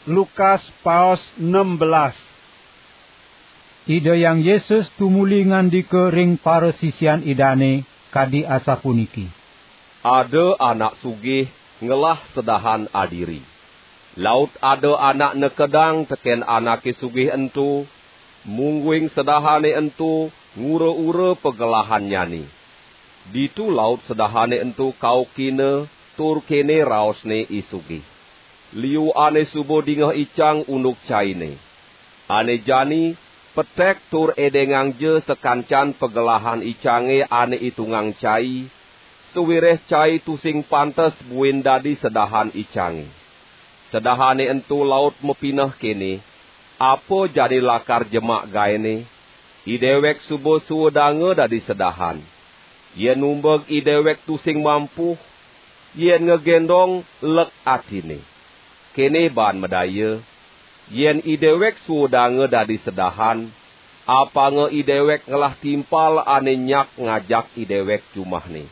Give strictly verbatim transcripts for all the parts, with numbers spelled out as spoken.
Lukas paos enam belas. Ida Hyang Yesus tumuli ngandika ring parasisian Idane kadi asapuniki: Ada anak sugih ngelah sedahan adiri. Laut ada anak nekedang teken anake sugih ento, mungguing sedahane ento ngura-ura pagelahannyane. Ditu laut sedahane ento kaukina, tur kene raosne isugih. Liu ane suba dingeh icang unduk caine. Ane jani, petek tur edengangja sakancan pagelahan icange ane itungang cai, sawireh cai tusing pantes buin dadi sedahan icange. Sedahane ento laut mapineh kene, apa jani lakar jemak gaene? Idewek suba suudanga dadi sedahan. Yen numbeg idewek tusing mampuh, yen ngagendong lek atine. Kene baan madaya, yen idewek suudanga dadi sedahan, apanga idewek ngelah timpal ane nyak ngajak idewek jumahne.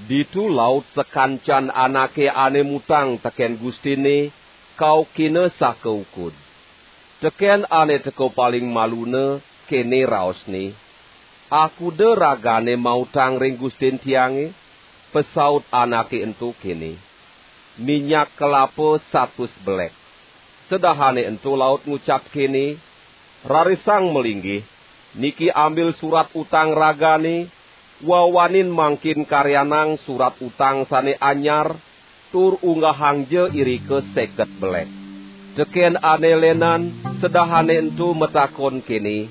Ditu laut sakancan anake ane mutang teken gustinne kaukina sakaukud. Teken ane teka paling maluna, kene raosne: "Akuda ragane mautang ring gustin tiange?" Pasaut anake ento kene: "Minyak kelapa satus belek." Sedahane ento laut ngucap kene: "Rarisang malinggih, niki ambil surat utang ragane, wawanin mangkin karyanang surat utang sane anyar, tur unggahangja irika seket belek." Teken ane lenan, sedahane ento matakon kene: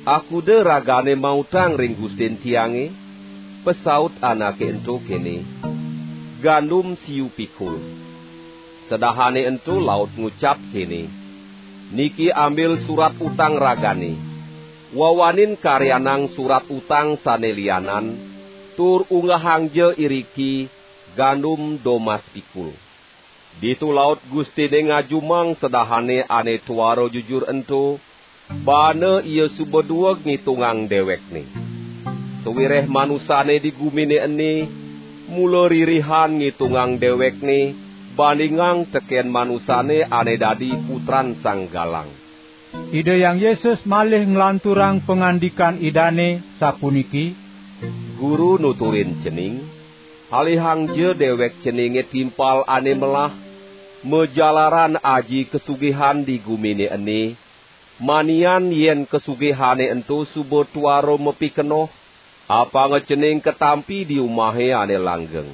"Akuda ragane mautang ring gustin tiange?" Pasaut anake ento kene: "Gandum siu pikul." Sedahane ento laut ngucap kene: "Niki ambil surat utang ragane. Wawanin karyanang surat utang sane lianan, tur unggahangja iriki gandum domas pikul." Ditu laut gustine ngajumang sedahane ane tuara jujur ento, baana ia suba dueg ngitungang dewekne. Sawireh manusane di gumine ene mula ririhan ngitungang dewekne bandingang teken manusane ane dadi putran sang galang. Ida Hyang Yesus malih nglanturang pangandikan Idane sapuniki: "Guru nuturin cening, alihangja dewek ceninge timpal ane melah, majalaran aji kasugihan di gumine ene, manian yen kasugihane ento suba tuara mapikenoh, apanga cening katampi di umahe ane langgeng.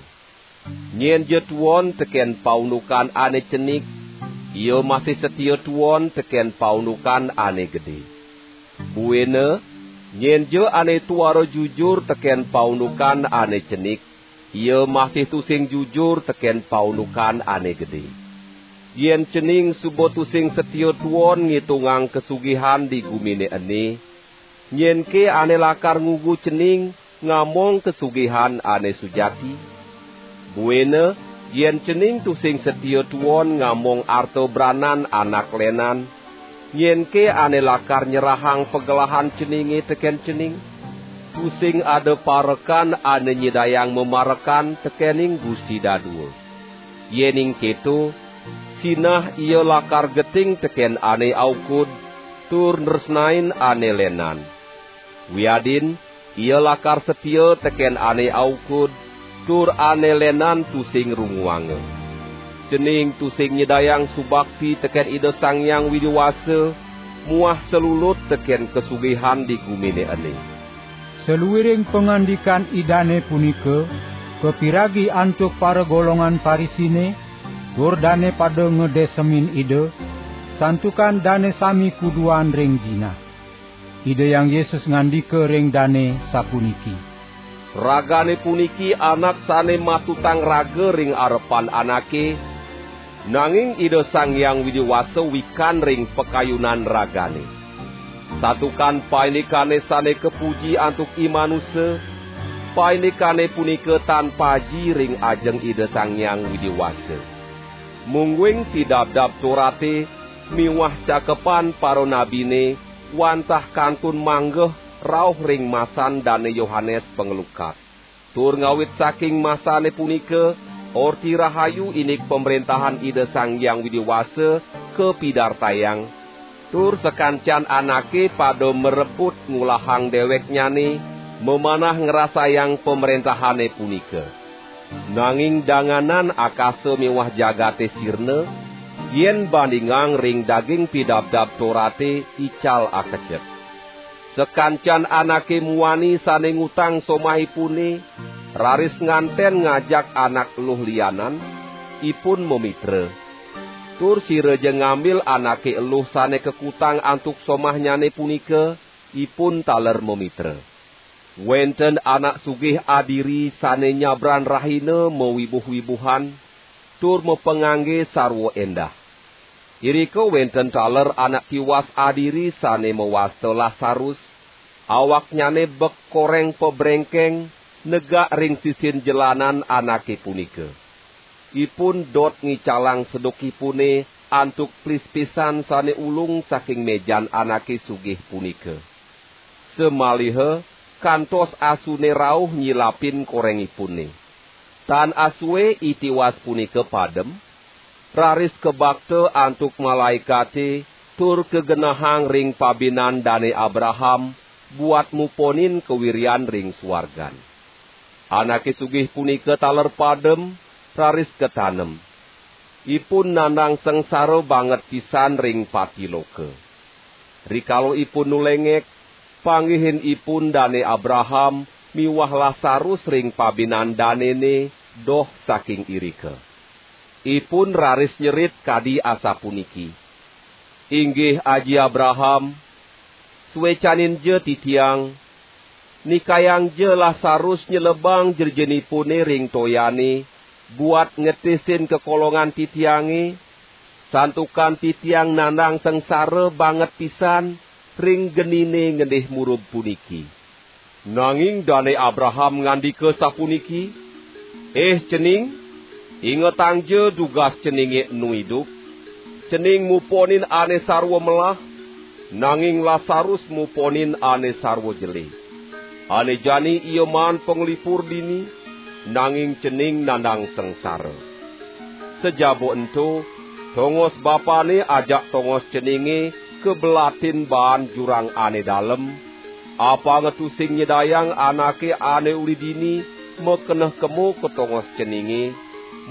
Nyenja tuon teken paundukan ane cenik, ia masih satia tuon teken paundukan ane gede. Buina, nyenja ane tuara jujur teken paundukan ane cenik, ia masih tusing jujur teken paundukan ane gede. Yen cening suba tusing satia tuon ngitungang kasugihan di gumine ene, nyenke ane lakar ngugu cening ngamong kasugihan ane sujati? Buina, yen cening tusing satia tuon ngamong arta branan anak lenan, nyenke ane lakar nyerahang pagelahan ceninge teken cening? Tusing ada parekan ane nyidayang mamarekan tekening gusti dadua. Yening keto, sinah ia lakar geting teken ane aukud, tur nresnain ane lenan. Wiadin, ia lakar satia teken ane aukud, tur ane lenan tusing runguanga. Cening tusing nyidayang subakti teken Ida Sang Hyang Widi Wasa, muah salulut teken kasugihan di gumine ene. Saluiring pangandikan Idane punika kapiragi antuk paragolongan Parisine, tur dane pada ngedesemin Ida, santukan dane sami kuduan ring jinah. Ida Hyang Yesus ngandika ring dane sapuniki: "Ragane puniki anak sane matutang raga ring arepan anake, nanging Ida Sang Hyang Widi Wasa wikan ring pakayunan ragane. Santukan paindikane sane kapuji antuk i manusa, paindikane punika tan paji ring ajeng Ida Sang Hyang Widi Wasa. Mungguing Pidabdab Torate miwah Cakepan Paranabine wantah kantun manggeh rauh ring masan Dane Yohanes Panglukak. Tur ngawit saking masane punika, Orti Rahayu indik Pamrentahan Ida Sang Hyang Widi Wasa kapidartayang, tur sakancan anake pada marebut ngulahang deweknyane mamanah ngrasayang pamrentahane punika. Nanging danganan akasa miwah jagate sirna, yen bandingang ring daging Pidabdab Torate ical akecek. Sakancan anake muani sane ngutang somahipune, raris nganten ngajak anak eluh lianan, ipun mamitra. Tur sira ja ngambil anake eluh sane kakutang antuk somahnyane punika, ipun taler mamitra. Wenten anak sugih adiri sane nyabran rahina mawibuh-wibuhan, tur mapangangge sarwa endah. Irika wenten taler anak tiwas adiri sane mawasta Lasarus, awaknyane bek koreng pabrengkeng, negak ring sisin jelanan anake punika. Ipun dot ngicalang sedukipune antuk plispisan sane ulung saking mejan anake sugih punika. Samaliha kantos asune rauh nyilapin korengipune. Tan asue i tiwas punika padem, raris kabakta antuk malaekate tur kagenahang ring pabinan Dane Abraham buat muponin kawiryan ring suargan. Anake sugih punika taler padem, raris katanem. Ipun nandang sangsara banget pisan ring pati loka. Rikala ipun nulengek, panggihin ipun Dane Abraham miwah Lasarus ring pabinan danene doh saking irika. Ipun raris nyerit kadi asapuniki, "Inggih Aji Abraham, suecanin ja titiang, nikayang ja Lasarus nyelebang jerjenipune ring toyane buat ngetisin kekolongan titiange, santukan titiang nandang sangsara banget pisan ring genine ngendih murub puniki." Nanging Dane Abraham ngandika sapuniki, "Eh cening, ingetangja dugas ceninge enu idup. Cening muponin ane sarwa melah, nanging Lasarus muponin ane sarwa jele. Ane jani ia maan panglipur dini, nanging cening nandang sangsara. Sajaba ento, tongos bapane ajak tongos ceninge kabelatin baan jurang ane dalem, apanga tusing nyidayang anake ane uli dini makeneh kema ka tongos ceninge,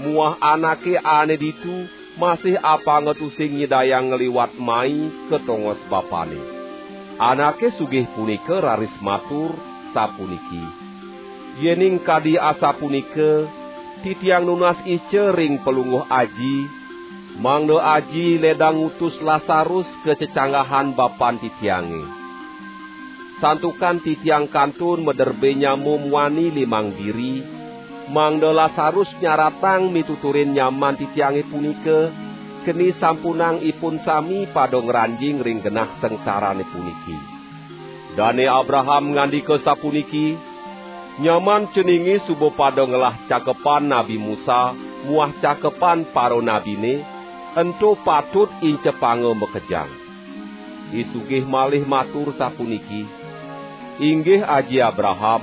muah anake ane ditu masih apanga tusing nyidayang ngliwat mai ka tongos bapane." Anake sugih punika raris matur sapuniki, "Yening kadi asapunika, titiang nunas ica ring Palungguh Aji, mangda Aji ledang ngutus Lasarus ka cecanggahan bapan titiange. Santukan titiang kantun maderbe nyama muani limang diri, mangda Lasarus nyaratang mituturin nyaman titiange punika, keni sampunang ipun sami pada ngranjing ring genah sangsarane puniki." Dane Abraham ngandika sapuniki, "Nyaman ceninge suba pada ngelah cakepan Nabi Musa muah cakepan para nabine, ento patut incepanga makejang." I sugih malih matur sapuniki, "Inggih Aji Abraham,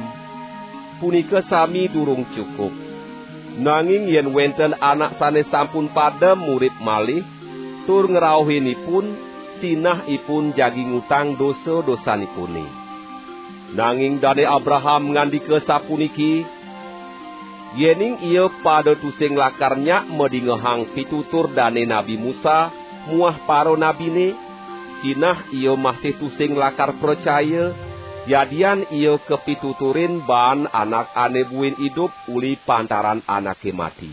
punika sami durung cukup. Nanging yen wenten anak sane sampun padem murip malih tur ngrauhin ipun, sinah ipun jagi ngutang dosa-dosanipune." Nanging Dane Abraham ngandika sapuniki, "Yening ia pada tusing lakar nyak madingehang pitutur dane Nabi Musa muah para nabine, sinah ia masih tusing lakar pracaya, yadian ia kapituturin baan anak ane buin idup uli pantaran anake mati."